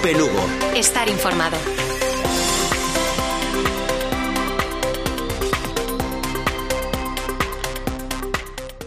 COPE Lugo. Estar informado.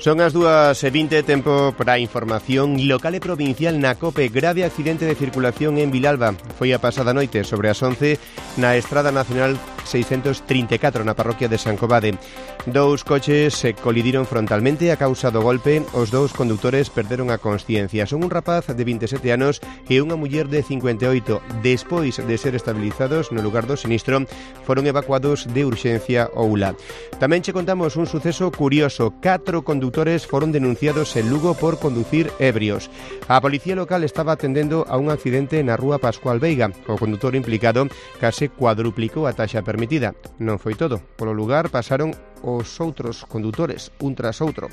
Son as 2:20, tempo para a información local e provincial na COPE. Grave accidente de circulación en Vilalba. Foi a pasada noite sobre as 11 na Estrada Nacional 634 na parroquia de San Covade. Dous coches se colidiron frontalmente a causa do golpe. Os dous condutores perderon a consciencia. Son un rapaz de 27 anos e unha muller de 58. Despois de ser estabilizados no lugar do sinistro, foron evacuados de urxencia ao ULA. Tamén che contamos un suceso curioso. 4 condutores foron denunciados en Lugo por conducir ebrios. A policía local estaba atendendo a un accidente na rúa Pascual Veiga. O condutor implicado case cuadruplicou a taxa permitida. Non foi todo. Polo lugar pasaron os outros condutores, un tras outro.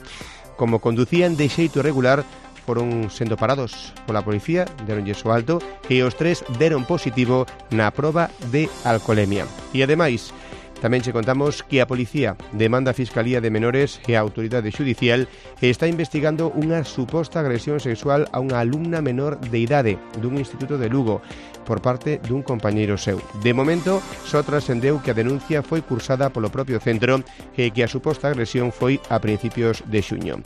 Como conducían de xeito irregular, foron sendo parados pola policía, deronlles o alto e os 3 deron positivo na proba de alcolemia. E ademais, tamén che contamos que a policía demanda a Fiscalía de Menores e a Autoridade Xudicial e está investigando unha suposta agresión sexual a unha alumna menor de idade dun instituto de Lugo por parte dun compañeiro seu. De momento, só trascendeu que a denuncia foi cursada polo propio centro e que a suposta agresión foi a principios de xuño.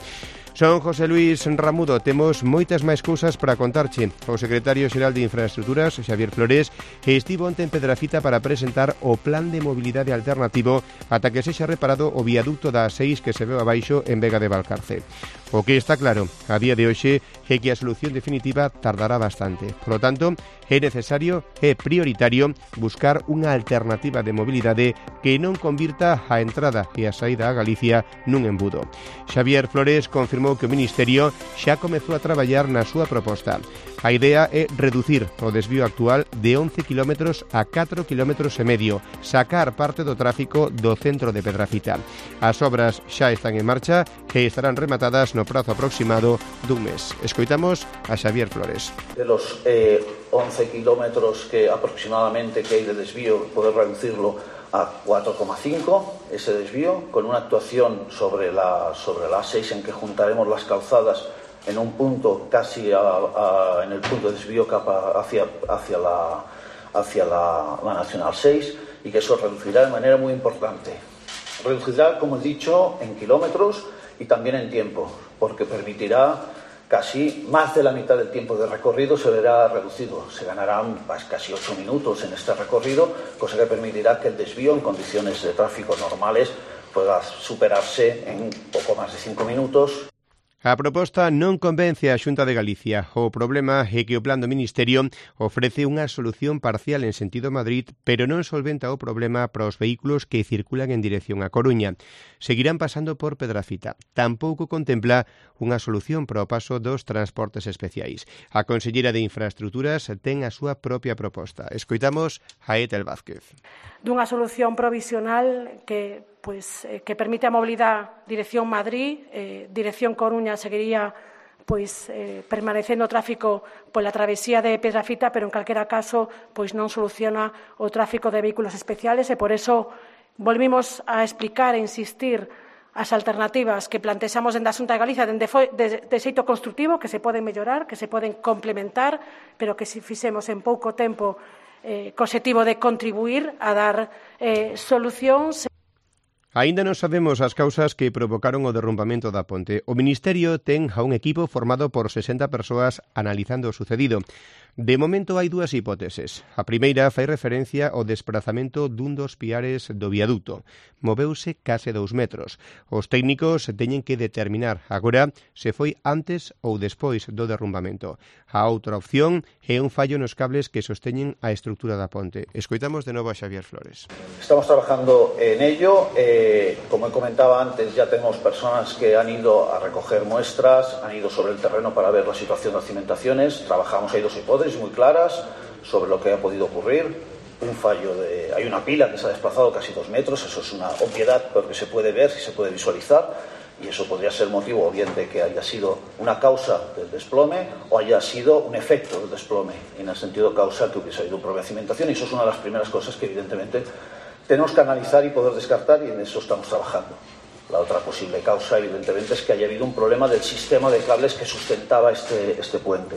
Son José Luis Ramudo, temos moitas máis cousas para contarche. O secretario xeral de Infraestructuras, Xavier Flores, estivo onte en Pedrafita para presentar o plan de mobilidade alternativo ata que sexa reparado o viaducto da A6 que se veu abaixo en Vega de Valcarce. O que está claro a día de hoxe é que a solución definitiva tardará bastante. Por lo tanto, é necesario e prioritario buscar unha alternativa de mobilidade que non convirta a entrada e a saída a Galicia nun embudo. Xavier Flores confirmou que o Ministerio xa comezou a traballar na súa proposta. A idea é reducir o desvío actual de 11 km a 4 km e medio, sacar parte do tráfico do centro de Pedrafita. As obras xa están en marcha e estarán rematadas no prazo aproximado dun mes. Escoitamos a Xavier Flores. De los 11 kilómetros que aproximadamente que hay de desvío, poder reducirlo a 4,5 ese desvío, con una actuación sobre la A6 en que juntaremos las calzadas en un punto casi en el punto de desvío hacia la Nacional 6, y que eso reducirá de manera muy importante. Reducirá, como he dicho, en kilómetros y también en tiempo, porque permitirá casi más de la mitad del tiempo de recorrido se verá reducido. Se ganarán casi 8 minutos en este recorrido, cosa que permitirá que el desvío en condiciones de tráfico normales pueda superarse en poco más de 5 minutos. A proposta non convence a Xunta de Galicia. O problema é que o plan do Ministerio ofrece unha solución parcial en sentido Madrid, pero non solventa o problema para os vehículos que circulan en dirección a Coruña. Seguirán pasando por Pedrafita. Tampouco contempla unha solución para o paso dos transportes especiais. A conselleira de Infraestructuras ten a súa propia proposta. Escoitamos a Etel Vázquez. Dunha solución provisional que permite a mobilidade dirección Madrid, dirección Coruña seguiría permanecendo o tráfico pola travesía de Pedrafita, pero en calquera caso non soluciona o tráfico de vehículos especiales e por eso volvimos a explicar e insistir as alternativas que plantexamos dende a Xunta de Galicia de xeito constructivo, que se poden mellorar, que se poden complementar, pero que se fixemos en pouco tempo co obxectivo de contribuir a dar solucións. Aínda non sabemos as causas que provocaron o derrumbamento da ponte. O Ministerio ten a un equipo formado por 60 persoas analizando o sucedido. De momento hai dúas hipóteses. A primeira fai referencia ao desprazamento dun dos piares do viaduto. Moveuse case 2 metros. Os técnicos teñen que determinar agora se foi antes ou despois do derrumbamento. A outra opción é un fallo nos cables que sosteñen a estrutura da ponte. Escoitamos de novo a Xavier Flores. Estamos trabajando en ello. Como comentaba antes, ya tenemos personas que han ido a recoger muestras, han ido sobre el terreno para ver la situación de las cimentaciones. Trabajamos, hay dos hipótesis muy claras sobre lo que ha podido ocurrir. Hay una pila que se ha desplazado casi 2 metros, eso es una obviedad porque se puede ver, se puede visualizar, y eso podría ser motivo o bien de que haya sido una causa del desplome o haya sido un efecto del desplome, en el sentido causa que hubiese habido un problema de cimentación, y eso es una de las primeras cosas que evidentemente tenemos que analizar y poder descartar, y en eso estamos trabajando. La otra posible causa, evidentemente, es que haya habido un problema del sistema de cables que sustentaba este puente.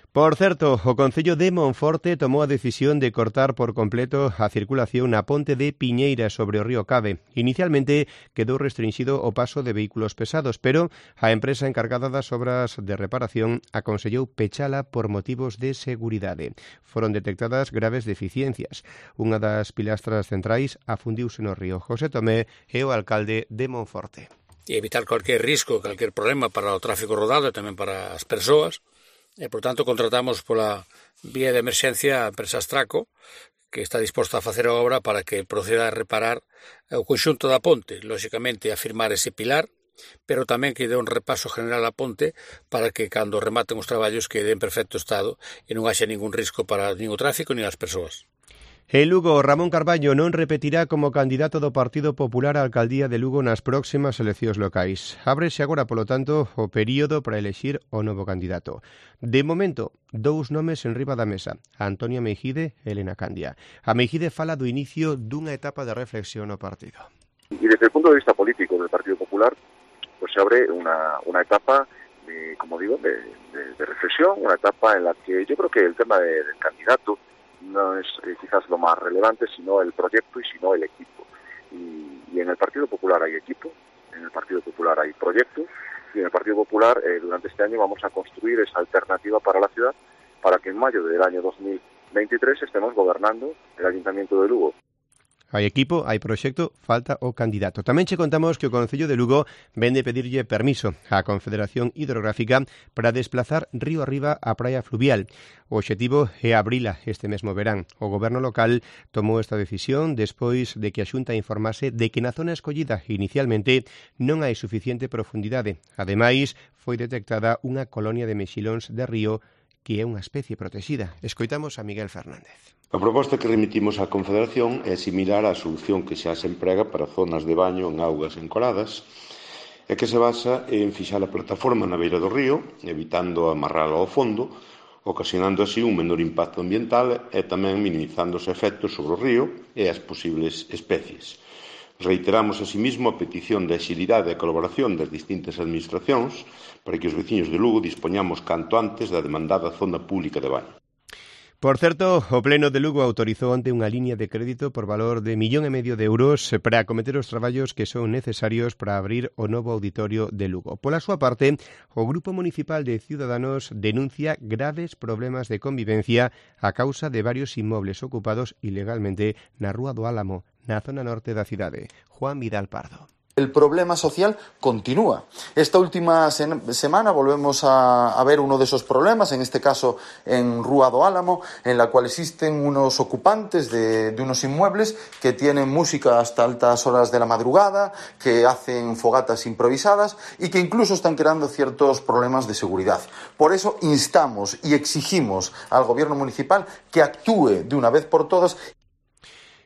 Por certo, o Concello de Monforte tomou a decisión de cortar por completo a circulación na ponte de Piñeira sobre o río Cave. Inicialmente quedou restringido o paso de vehículos pesados, pero a empresa encargada das obras de reparación aconsellou pechala por motivos de seguridade. Foron detectadas graves deficiencias. Unha das pilastras centrais afundiuse no río. José Tomé é o alcalde de Monforte. E evitar cualquier risco, cualquier problema para o tráfico rodado e tamén para as persoas. E, por tanto, contratamos pola vía de emerxencia a empresa Astraco, que está disposta a facer a obra para que proceda a reparar o conxunto da ponte, lóxicamente a firmar ese pilar, pero tamén que dé un repaso general á ponte para que, cando rematen os traballos, quede en perfecto estado e non haxa ningún risco para nin o tráfico nin as persoas. En Lugo, Ramón Carballo non repetirá como candidato do Partido Popular á alcaldía de Lugo nas próximas eleccións locais. Ábrese agora, polo tanto, o período para elexir o novo candidato. De momento, dous nomes en riba da mesa, Antonia Meijide e Elena Candia. A Meijide fala do inicio dunha etapa de reflexión no partido. Y desde el punto de vista político del Partido Popular, pues se abre una etapa, como digo, de reflexión, una etapa en la que yo creo que el tema del candidato no es quizás lo más relevante, sino el proyecto y sino el equipo. Y en el Partido Popular hay equipo, en el Partido Popular hay proyecto, y en el Partido Popular durante este año vamos a construir esa alternativa para la ciudad, para que en mayo del año 2023 estemos gobernando el Ayuntamiento de Lugo. Hai equipo, hai proxecto, falta o candidato. Tamén che contamos que o Concello de Lugo vende pedirlle permiso á Confederación Hidrográfica para desplazar río arriba a praia fluvial. O obxectivo é abrila este mesmo verán. O goberno local tomou esta decisión despois de que a Xunta informase de que na zona escollida inicialmente non hai suficiente profundidade. Ademais, foi detectada unha colonia de mexilóns de río que é unha especie protexida. Escoitamos a Miguel Fernández. A proposta que remitimos á Confederación é similar á solución que xa se emprega para zonas de baño en augas encoladas e que se basa en fixar a plataforma na beira do río, evitando amarrala ao fondo, ocasionando así un menor impacto ambiental e tamén minimizando os efectos sobre o río e as posibles especies. Reiteramos asimismo a petición de axilidade e colaboración das distintas administracións para que os veciños de Lugo dispoñamos canto antes da demandada zona pública de baño. Por certo, o Pleno de Lugo autorizou onte unha liña de crédito por valor de 1,5 millón de euros para acometer os traballos que son necesarios para abrir o novo auditorio de Lugo. Pola súa parte, o Grupo Municipal de Ciudadanos denuncia graves problemas de convivencia a causa de varios inmobles ocupados ilegalmente na Rúa do Álamo, na zona norte da cidade. Juan Vidal Pardo. El problema social continúa. Esta última semana volvemos a ver uno de esos problemas, en este caso en Rúa do Álamo, en la cual existen unos ocupantes de unos inmuebles que tienen música hasta altas horas de la madrugada, que hacen fogatas improvisadas y que incluso están creando ciertos problemas de seguridad. Por eso instamos y exigimos al Gobierno municipal que actúe de una vez por todas.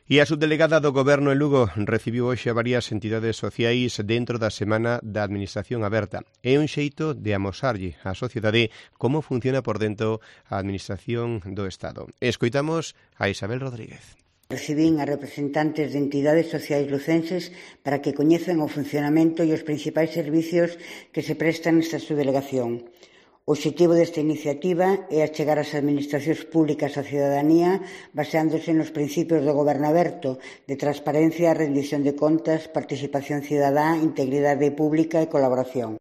E a subdelegada do Goberno en Lugo recibiu hoxe a varias entidades sociais dentro da Semana da Administración Aberta. É un xeito de amosarlle á sociedade como funciona por dentro a Administración do Estado. Escoitamos a Isabel Rodríguez. Recibín a representantes de entidades sociais lucenses para que coñezan o funcionamento e os principais servicios que se prestan nesta subdelegación. O obxectivo desta iniciativa é achegar as administracións públicas á cidadanía baseándose nos principios do goberno aberto, de transparencia, rendición de contas, participación cidadá, integridade pública e colaboración.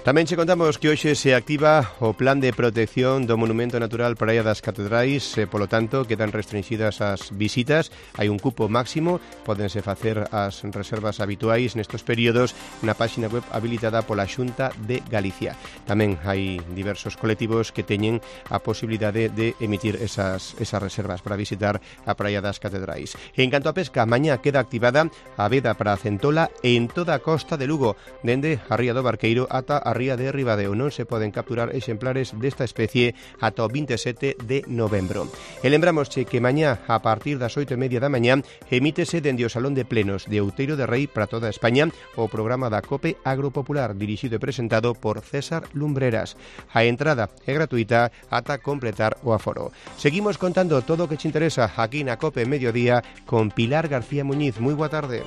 Tamén che contamos que hoxe se activa o Plan de Protección do Monumento Natural Praia das Catedrais, polo tanto, quedan restringidas as visitas, hai un cupo máximo, pódense facer as reservas habituais nestes períodos na páxina web habilitada pola Xunta de Galicia. Tamén hai diversos colectivos que teñen a posibilidade de emitir esas reservas para visitar a Praia das Catedrais. En canto a pesca, mañá queda activada a veda para a centola en toda a costa de Lugo, dende a Ría do Barqueiro ata a Ría de Ribadeo. Non se poden capturar exemplares desta especie ata o 27 de novembro. E lembramosche que mañá, a partir das 8:30 da mañá, emítese dende o Salón de Plenos de Outeiro de Rei para toda España o programa da COPE Agropopular, dirixido e presentado por César Lumbreras. A entrada é gratuita ata completar o aforo. Seguimos contando todo o que te interesa aquí na COPE Mediodía con Pilar García Muñiz. Moi boa tarde.